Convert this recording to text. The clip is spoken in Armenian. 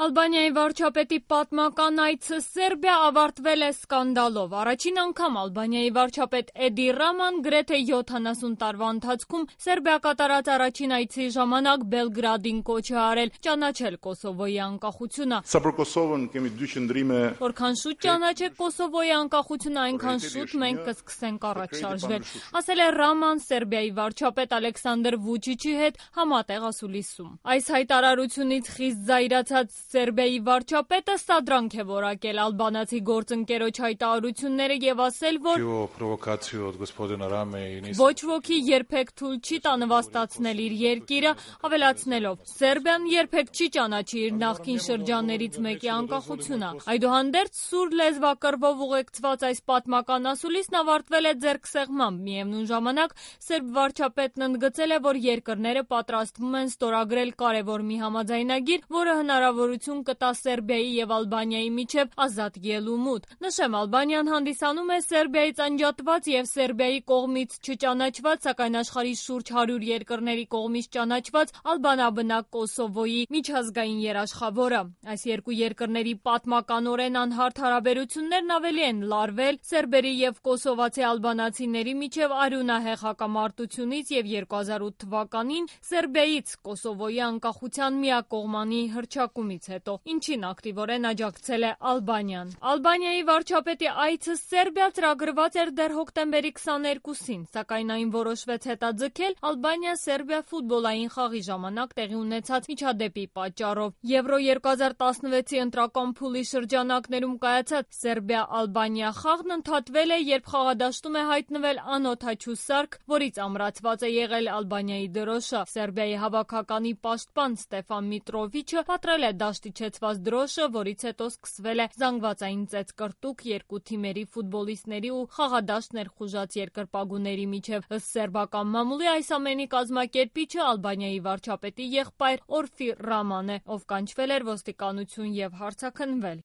Ալբանիայի վարչապետի պատմական այցը Սերբիա ավարտվել է սկանդալով։ Առաջին անգամ Ալբանիայի վարչապետ Էդի Ռաման գրեթե 70 տարվա ընթացքում Սերբիա կատարած առաջին այցի ժամանակ Բելգրադին կոչ է արել ճանաչել Կոսովոյի անկախությունը։ Որքան շուտ ճանաչեք Կոսովոյի անկախությունը, այնքան շուտ մենք կսկսենք առաջ շարժվել, ասել է Ռաման Սերբիայի վարչապետ Ալեքսանդր Վուչիչի հետ համատեղ ասուլիսում։ Այս հայտարարությունից խիստ զայրացած Սերբիայի վարչապետը սադրանք է որակել ալբանացի գործընկերոջ հայտարարությունները եւ ասել, որ ոչ ոքի երբեք թույլ չի տա նվաստացնել իր երկիրը, ավելացնելով. Սերբիան երբեք չի ճանաչի իր նախկին շրջաններից մեկի անկախությունը։ Այդուհանդերձ սուր լեզվակռվով ուղեկցված այս պատմական ասուլիսն ավարտվել է ձեռքսեղմամբ։ Միևնույն ժամանակ սերբ վարչապետն ընդգծել է, որ երկրները պատրաստվում են ստորագրել կարևոր մի համաձայնագիր, որը հնարավորություն կտա Սերբիայի եւ Ալբանիայի միջև ազատ ելումուտ։ Նշեմ, Ալբանիան հանդիսանում է Սերբիայից անջատված եւ Սերբիայի կողմից չճանաչված, սակայն աշխարհի շուրջ 100 երկրների կողմից ճանաչված ալբանաբնակ Կոսովոյի միջազգային երաշխավորը։ Այս երկու երկրների պատմականորեն անհարթ հարաբերություններն ավելի են լարվել սերբերի եւ կոսովացի ալբանացիների միջև արյունահեղ հակամարտությունից եւ 2008 թվականին Սերբիայից Կոսովոյի անկախության միակողմանի հռչակումից հետո, ինչին ակտիվորեն աջակցել է Ալբանիան։ Ալբանիայի վարչապետի այցը Սերբիա ծրագրված էր դեռ հոկտեմբերի 22-ին, սակայն այն որոշվեց հետաձգել Ալբանիա-Սերբիա ֆուտբոլային խաղի ժամանակ տեղի ունեցած միջադեպի պատճառով։ Եվրո 2016-ի ընտրական փուլի շրջանակներում կայացած Սերբիա-Ալբանիա խաղն ընդհատվել է, երբ խաղադաշտում է հայտնվել անօդաչու սարք, որից ամրացված է եղել Ալբանիայի դրոշը։ Սերբիայի հավաքականի պաշտպան Ստեֆան Միտրովիչը պատրել է դաշտի չեցված դրոշը, որից հետո սկսվել է զանգվածային ծեծկռտուք երկու թիմերի ֆուտբոլիստների ու խաղադաշտ ներխուժած երկրպագուների միջև։ Ըստ սերբական մամուլի այս ամենի կազմակերպիչը Ալբանիայի վարչապետի եղբայր Օրֆի Ռաման է, ով կանչվել էր ոստիկանություն եւ հարցաքննվել։